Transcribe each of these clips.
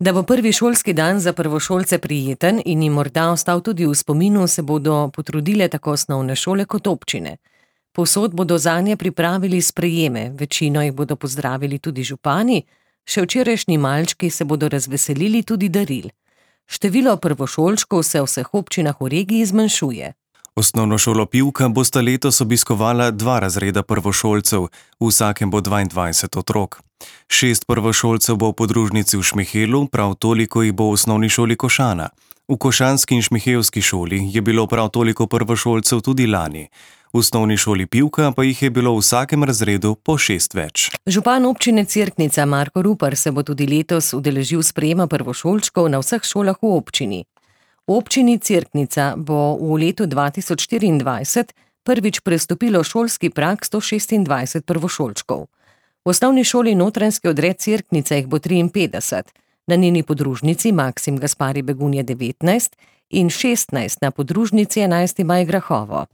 Da bo prvi šolski dan za prvošolce prijeten in jim morda ostal tudi v spominu, se bodo potrudile tako osnovne šole kot občine. Povsod bodo zanje pripravili sprejeme, večino jih bodo pozdravili tudi župani, še včerajšnji malčki se bodo razveselili tudi daril. Število prvošolčkov se v vseh občinah v regiji zmanjšuje. Osnovno šolo Pivka bosta letos obiskovala 2 razreda prvošolcev, v vsakem bo 22 otrok. 6 prvošolcev bo v podružnici v Šmihelu, prav toliko jih bo v osnovni šoli Košana. V košanski in šmihevski šoli je bilo prav toliko prvošolcev tudi lani. V osnovni šoli Pivka pa jih je bilo v vsakem razredu po 6 več. Župan občine Cerknica Marko Rupar se bo tudi letos udeležil sprejema prvošolčkov na vseh šolah v občini. V občini Cerknica bo v letu 2024 prvič prestopilo šolski prag 126 prvošolčkov. V osnovni šoli Notranjski odred Cerknica jih bo 53, na njeni podružnici Maksim Gaspari Begunje 19 in 16 na podružnici 11. maj Grahovo.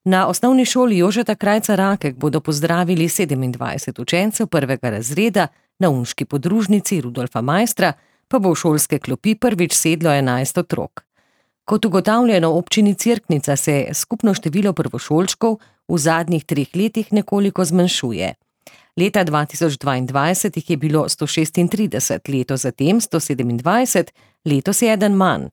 Na osnovni šoli Jožeta Krajca Rakek bodo pozdravili 27 učencev prvega razreda, na unški podružnici Rudolfa Maistra pa bo v šolske klopi prvič sedlo 11 otrok. Kot ugotavljeno v občini Cerknica se skupno število prvošolčkov v zadnjih 3 letih nekoliko zmanjšuje. Leta 2022 jih je bilo 136, leto zatem 127, letos je eden manj.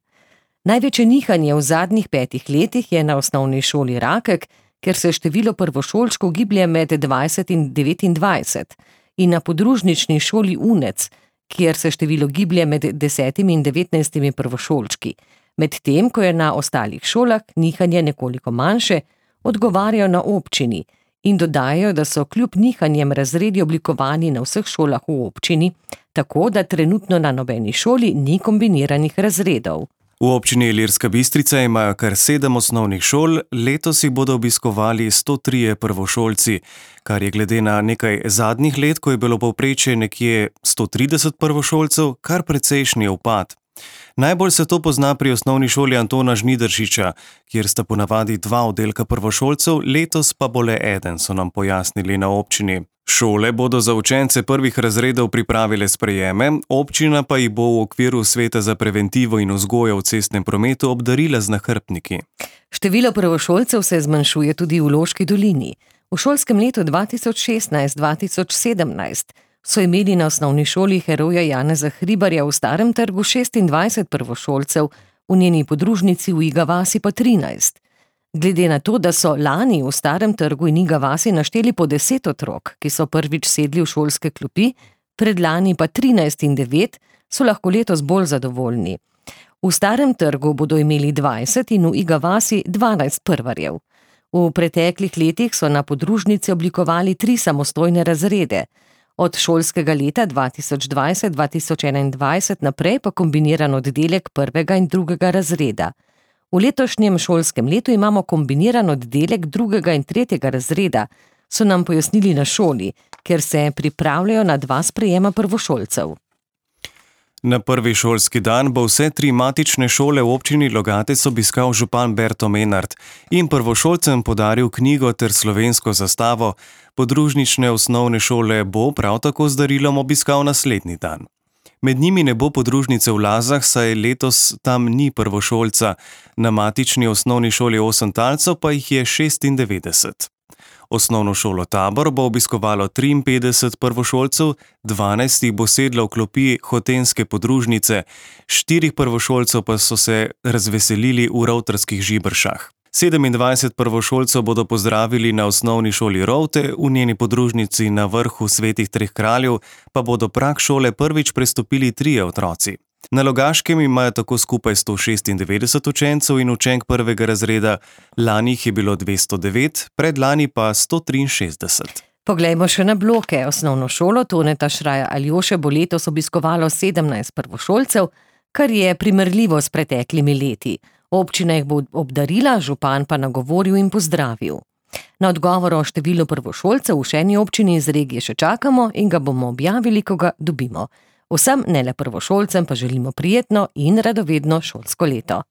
Največje nihanje v zadnjih 5 letih je na osnovni šoli Rakek, ker se število prvošolčkov giblje med 20 in 29, in na podružnični šoli Unec, kjer se število giblje med 10 in 19 prvošolčki. Medtem, ko je na ostalih šolah nihanje nekoliko manjše, odgovarjajo na občini in dodajajo, da so kljub nihanjem razredi oblikovani na vseh šolah v občini, tako da trenutno na nobeni šoli ni kombiniranih razredov. V občini Ilirska Bistrica imajo kar 7 osnovnih šol, letos jih bodo obiskovali 103 prvošolci, kar je glede na nekaj zadnjih let, ko je bilo povprečje nekje 130 prvošolcev, kar precejšnji upad. Najbolj se to pozna pri osnovni šoli Antona Žnidaršiča, kjer sta ponavadi 2 oddelka prvošolcev, letos pa bo le 1, so nam pojasnili na občini. Šole bodo za učence prvih razredov pripravile sprejeme, občina pa jih bo v okviru Sveta za preventivo in vzgojo v cestnem prometu obdarila z nahrbtniki. Število prvošolcev se zmanjšuje tudi v Loški dolini. V šolskem letu 2016-2017 so imeli na osnovni šoli Heroja Janeza Hribarja v Starem trgu 26 prvošolcev, v njeni podružnici v Iga vasi pa 13. Glede na to, da so lani v Starem trgu in Iga vasi našteli po 10 otrok, ki so prvič sedli v šolske klopi, predlani pa 13 in 9, so lahko letos bolj zadovoljni. V Starem trgu bodo imeli 20 in v Iga vasi 12 prvarjev. V preteklih letih so na podružnici oblikovali 3 samostojne razrede. Od šolskega leta 2020-2021 naprej pa kombiniran oddelek 1. in 2. razreda. V letošnjem šolskem letu imamo kombiniran oddelek 2. in 3. razreda, so nam pojasnili na šoli, ker se pripravljajo na 2 sprejema prvošolcev. Na prvi šolski dan bo vse 3 matične šole v občini Logatec obiskal župan Berto Menard in prvošolcem podaril knjigo ter slovensko zastavo. Podružnične osnovne šole bo prav tako z darilom obiskal naslednji dan. Med njimi ne bo podružnice v Lazah, saj letos tam ni prvošolca, na matični osnovni šoli 8 talcev pa jih je 96. Osnovno šolo Tabor bo obiskovalo 53 prvošolcev, 12 jih bo sedlo v klopi hotenske podružnice, 4 prvošolcev pa so se razveselili v Rovtrskih Žibršah. 27 prvošolcev bodo pozdravili na osnovni šoli Rovte, v njeni podružnici na vrhu Svetih treh kraljev pa bodo prag šole prvič prestopili 3 otroci. Na Logaškem imajo tako skupaj 196 učencev in učenk 1. razreda, lani jih je bilo 209, predlani pa 163. Poglejmo še na bloke. Osnovno šolo Toneta Šraja Aljoše bo letos obiskovalo 17 prvošolcev, kar je primerljivo s preteklimi leti. Občina jih bo obdarila, župan pa nagovoril in pozdravil. Na odgovor o številu prvošolcev v še eni občini iz regije še čakamo in ga bomo objavili, ko ga dobimo. Vsem, ne le prvošolcem, pa želimo prijetno in radovedno šolsko leto.